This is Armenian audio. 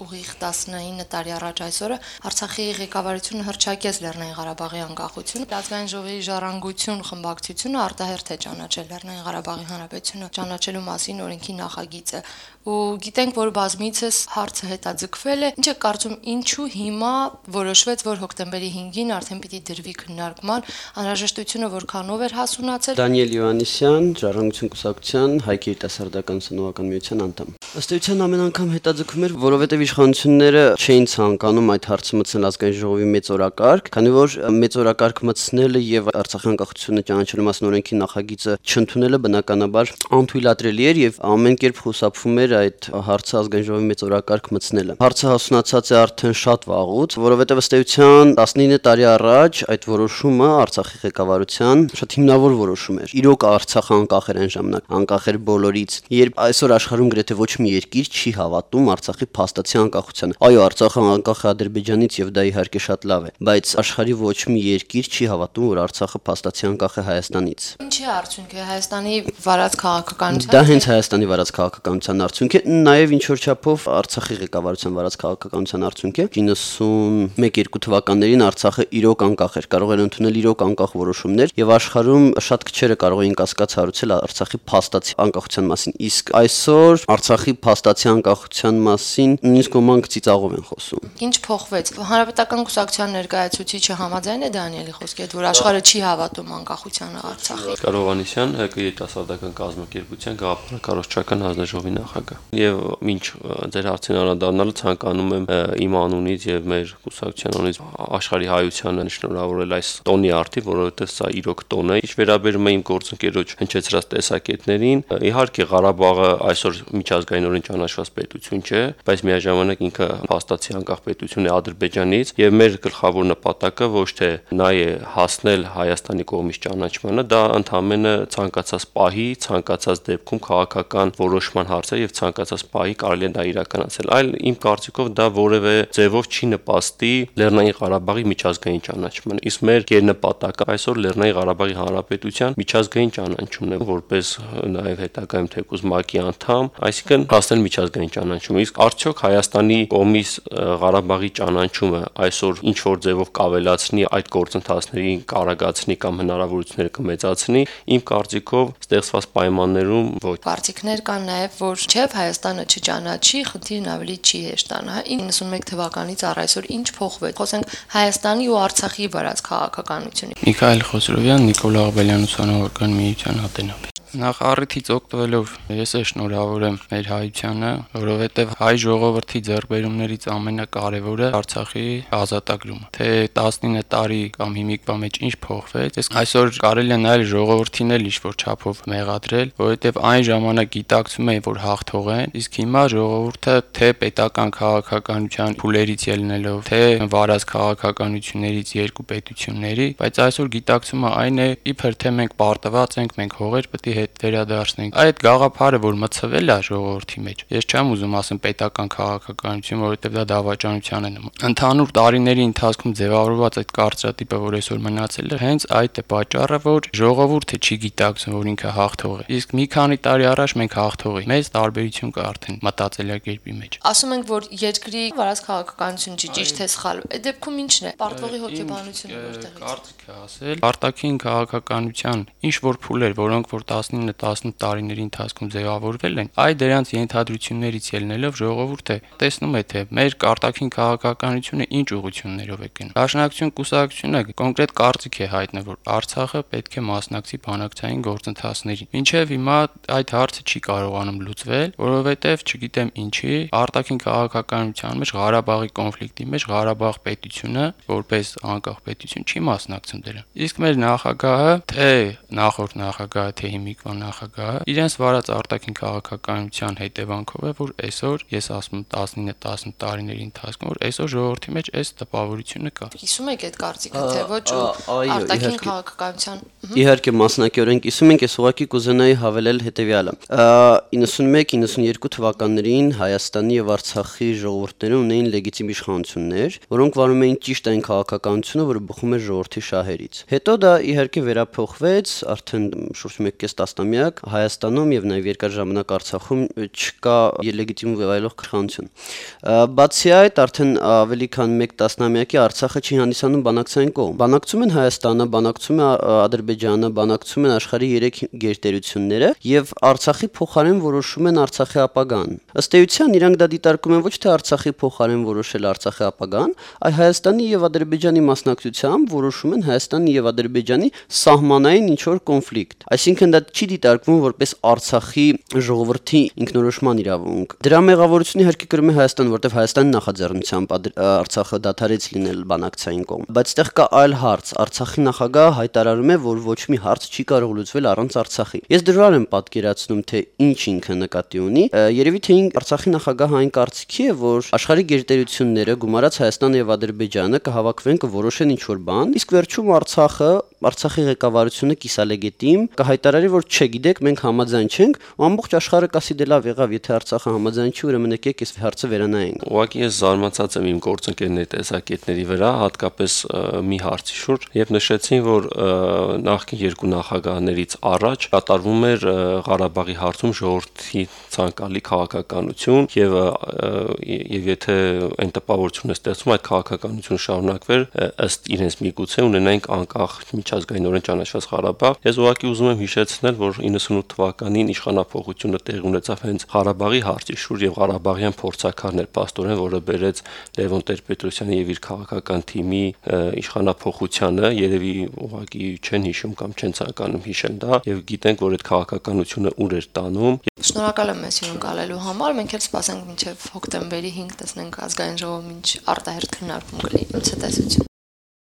ուղիղ 19 տարի առաջ այսօրը Արցախի ղեկավարությունը հռչակեց Լեռնային Ղարաբաղի անկախությունը, ազգային ժողովի ժառանգություն խմբակցությունը արտահերթ է ճանաչել Լեռնային Ղարաբաղի Հանրապետությունը ճանաչելու մասին օրենքի նախագիծը։ Ու գիտենք, որ բազմիցս հարցը հետաձգվել է, ինչ է կարծում, ինչու հիմա որոշվեց, որ հոկտեմբերի 5-ին արդեն պիտի դրվի քննարկման, անհրաժեշտությունը որքանով էր հասունացել։ Դանիել Յովհաննիսյան, Ժառանգություն կուսակցության Հայք երիտասարդական սնողական միության անդամ։ Ըստ էության ամեն անգամ հետաձգում էր, որովհետև իշխանությունները չէին ցանկանում այդ հարցը մտցնել ազգային ժողովի մեծ օրակարգ, քանի որ մեծ օրակարգ մտցնելը եւ Արցախի անկախությունը ճանաչելու մասին օրենքի նախագիծը չընդունելը բնականաբար անթույլատրելի էր եւ ամեն կերպ խուսափվում էր այդ հարցը ազգային ժողովի մեծ օրակարգ մտցնելը։ Հարցը հասունացած է արդեն շատ վաղուց, որովհետև ըստ էության 19 տարի առաջ այդ որոշումը Արցախի ղեկավարության շատ հիմնավոր որոշում էր։ Իրոք Արցախը անկախ էր այն ժամանակ, անկախ էր բոլորից, երբ այսօր աշխարհում գրեթե ոչ մի երկիր չի հավատում Արցախի փաստացի անկախությանը։ Այո, Արցախը անկախ է Ադրբեջանից եւ դա իհարկե շատ լավ է, բայց աշխարհի ոչ մի երկիր չի հավատում, որ Արցախը փաստացի անկախ է Հայաստանից։ Ինչի արդյունք է Հայաստանի վարած քաղաքականության։ Դա հենց Հայաստանի վարած քաղաքականության արդյունք է, նաեւ ինչ որ չափով Արցախի ղեկավարության վարած քաղաքականության արդյունք է։ 91-2 թվականներին Արցախը իրոք անկախ էր, կարող էր ընդունել իրոք անկախ որոշումներ եւ աշխարհում շատ քչերը կարող էին կասկած հարուցել Արցախի փաստացի անկախության մասին։ Իսկ այսօր Արցախի փաստացի անկախության մասին նույնիսկ ոմանք ծիծաղով են խոսում։ Ինչ փոխվեց։ Հանրապետական կուսակցության ներկայացուցիչը համաձայն է Դանիելի խոսքի հետ, որ աշխարհը չի հավատում անկախությանը Արցախի։ Կարողանիսյան ՀԿ երիտասարդական կազմակերպության գաղափարակառուցչական հանձնաժողովի նախագահ։ Եվ մինչ ձեր հարցին անդրադառնալու ցանկանում եմ իմ անունից եւ մեր կուսակցության անունից աշխարհի հայությանը շնորհավորել այս տոնի արդի, որովհետեւ սա իրոք տոն է։ Ինչ վերաբերում է իմ գործընկերոջ հնչեցրած տեսակետներին, իհարկե Ղարաբաղը այսօր միջազգայինորեն ճանաչված պետություն չէ, բայց միաժամանակ ինքը փաստացի անկախ պետություն է Ադրբեջանից եւ մեր գլխավոր նպատակը ոչ թե նա է հասնել Հայաստանի կողմից ճանաչմանը, դա ընդհանրապես ցանկացած պահի, ցանկացած դեպքում քաղաքական որոշման հարց է եւ ցանկացած պահի կարելի է դա իրականացնել, այլ իմ կարծիքով դա որևէ ձևով չի նպաստի Լեռնային Ղարաբաղի միջազգային ճանաչմանը։ Իսկ մեր գերնպատակը այսօր Լեռնային Ղարաբաղի Հանրապետության միջազգային ճանաչումն է, որպես նաեւ հետագայում թեկուզ ՄԱԿ-ի անդամ, այսինքն հասնել միջազգային ճանաչում։ Իսկ արդյոք Հայաստանի կողմից Ղարաբաղի ճանաչումը այսօր ինչ որ ձևով կավելացնի այդ գործընթացներին, կարագացնի կամ հնարավորությունները կմեծացնի, իմ կարծիքով ստեղծված պայմաններում ոչ։ Կարծիքներ կան նաև, որ չէ, Հայաստանը չճանաչի, խնդիրն ավելի չի հեշտանա։ 91 թվականից առ այսօր ինչ փոխվեց։ Խոսենք Հայաստանի ու Արցախի վարած քաղաքականությունից։ Միքայել Խոսրովյան, Նիկոլ Աղաբելյան ուսանողական միության հատենապ։ Նախ առիթից օգտվելով ես շնորհավորեմ մեր հայությանը, որովհետև հայ ժողովրդի ձեռքբերումներից ամենակարևորը Արցախի ազատագրումը։ Թե 19 տարի կամ հիմիկվա մեջ ինչ փոխվեց, այսօր կարելի է նայել ժողովրդին էլ ինչ-որ չափով մեղադրել, որովհետև այն ժամանակ գիտակցում էին, որ հաղթող են, իսկ հիմա ժողովուրդը թե պետական քաղաքականության փուլերից ելնելով, թե վարած քաղաքականություններից երկու պետությունների, բայց այսօր գիտակցումը այն է, իբր թե մենք պարտված ենք, մենք հողեր պետք է հետ վերադարձնենք։ Այդ գաղափարը, որ մցվել է ժողովրդի մեջ, ես չեմ ուզում ասեմ պետական քաղաքականություն, որովհետև դա դավաճանության է նման։ Ընդհանուր տարիների ընթացքում ձևավորված այդ կարծրատիպը, որ այսօր մնացել է, հենց այդ է պատճառը, որ ժողովուրդը չի գիտակցում, որ ինքը հաղթող է։ Իսկ մի քանի տարի առաջ մենք հաղթող էինք։ Մեծ տարբերություն կա արդեն մտածելակերպի մեջ։ Ասում ենք, որ երկրի վարած քաղաքականություն չի, ճիշտ է սխալ։ Այդ դեպքում ի՞նչն է։ Պարտվողի հոգեբանությունը որտեղից։ Կարծիք է ասել, արտաքին քաղաքականության ինչ որ փուլեր, որոնք որ 19-18 տարիների ընթացքում ձևավորվել են, այ դրանց ենթադրություններից ելնելով ժողովուրդը տեսնում է, թե մեր արտաքին քաղաքականությունը ինչ ուղղություններով է գնում։ Դաշնակցություն կուսակցությունը կոնկրետ կարծիք է հայտնել, որ Արցախը պետք է մասնակցի բանակցային գործընթացներին։ Մինչև հիմա այդ հարցը չի կարողանում լուծվել, որովհետև չգիտեմ ինչի, արտաքին քաղաքականության մեջ Ղարաբաղի կոնֆլիկտի մեջ Ղարաբաղ պետությունը, որպես անկախ պետություն, չի մասնակցում դրան։ Իսկ մեր նախագահը, թե նախորդ նախագահը, թե հիմիկվա նախագահը, իրենց վարած արտաքին քաղաքականության հետևանքով է, որ այսօր, ես ասում եմ 19-10 տարիների ընթացքում, որ այսօր ժողովրդի մեջ այս տպավորությունը կա։ Կիսում եք այդ կարծիքը, թե ոչ արտաքին քաղաքականության։ Իհարկե մասնակիորեն կիսում ենք, ես ուղղակի կուզենայի հավելել հետևյալը։ 91-92 թվականներին Հայաստանի եւ Արցախի ժողովուրդները ունեին լեգիտիմ իշխանություններ, որոնք վարում էին ճիշտ այն քաղաքականությունը, որը բխում էր ժողովրդի շահերից։ Հետո դա իհարկե վերափոխվեց, արդեն շուրջ 1.5 տասնամյակ Հայաստանում եւ նաեւ երկար ժամանակ Արցախում չկա լեգիտիմ վայելող քրխանություն։ Բացի այդ, արդեն ավելի քան 1 տասնամյակի Արցախը չի հանդիսանում բանակցային կողմ։ Բանակցում են Հայաստանը, բանակցում է Ադրբեջանը, բանակցում են աշխարհի 3 գերտերությունները եւ Արցախի փոխարեն որոշում են Արցախի ապագան։ Ըստ էության իրանք դա դիտարկում են ոչ թե Արցախի փոխարեն որոշել Արցախի ապագան, այլ Հայաստանի եւ Ադրբեջանի մասնակցությամբ որոշում են Հայաստանի եւ Ադրբեջանի սահմանային ինչ-որ կոնֆլիկտ։ Այսինքն դա չի դիտարկվում որպես Արցախի ժողովրդի ինքնորոշման իրավունք։ Դրա մեղավորությունը իհարկե կրում է Հայաստանը, որտեղ Հայաստանի նախաձեռնությամբ Արցախը դադարեց լինել բանակցային կողմ։ Բայց այդտեղ կա այլ հարց։ Արցախի նախագահը հայտարարում է, որ ոչ մի հարց չի կարող լուծվել առանց Արցախի։ Ես դժվար եմ պատկերացնում, թե ինչ ինքը նկատի ունի։ Երևի թե Արցախի նախագահը այն կարծիքի է, որ աշխարհի գերտերությունները գումարած Հայաստանը եւ Ադրբեջանը կհավաքվեն, կորոշեն ինչ-որ բան, իսկ վերջում Արցախի ղեկավարությունը կիսալեգիտիմ կհայտարարի, որ չէ, գիտեք, մենք համաձայն չենք, ու ամբողջ աշխարհը կասի դե լավ եղավ, եթե Արցախը համաձայն չի, ուրեմն եկեք այս հարցը վերանայենք։ Ուղղակի ես զարմացած եմ իմ գործընկերների տեսակետների վրա, հատկապես մի հարցի շուրջ, երբ նշեցին, որ նախկին երկու նախագահներից առաջ կատարվում էր Ղարաբաղի հարցում ժողովրդի ցանկալի քաղաքականություն եւ եթե այն տպավորությունը ստեղծում այդ քաղաքականությունը շարունակվեր ըստ իրենց միգուցե ունենայինք անկախ միջազգայինորեն ճանաչված Ղարաբաղ։ Ես ուղղակի ուզում եմ հիշեցնել, որ 98 թվականին իշխանափոխությունը տեղի ունեցավ հենց Ղարաբաղի հարցի շուրջ եւ Ղարաբաղյան փորձաքարն էր փաստորեն, որը բերեց Լևոն Տեր-Պետրոսյանի եւ իր քաղաքական թիմի իշխանափոխությանը, երևի ուղղակի չեն հիշում կամ չեն ցանկանում հիշել դա եւ գիտենք, որ այդ քաղաքականությունը ուր էր տանում։ Շնորհակալ եմ մեզ հյուրընկալելու համար։ Մենք էլ սպասենք մինչև հոկտեմբերի 5 տեսնենք ազգային ժողովի ինչ արտահերթ քննարկում կլինի։ Ցտեսություն։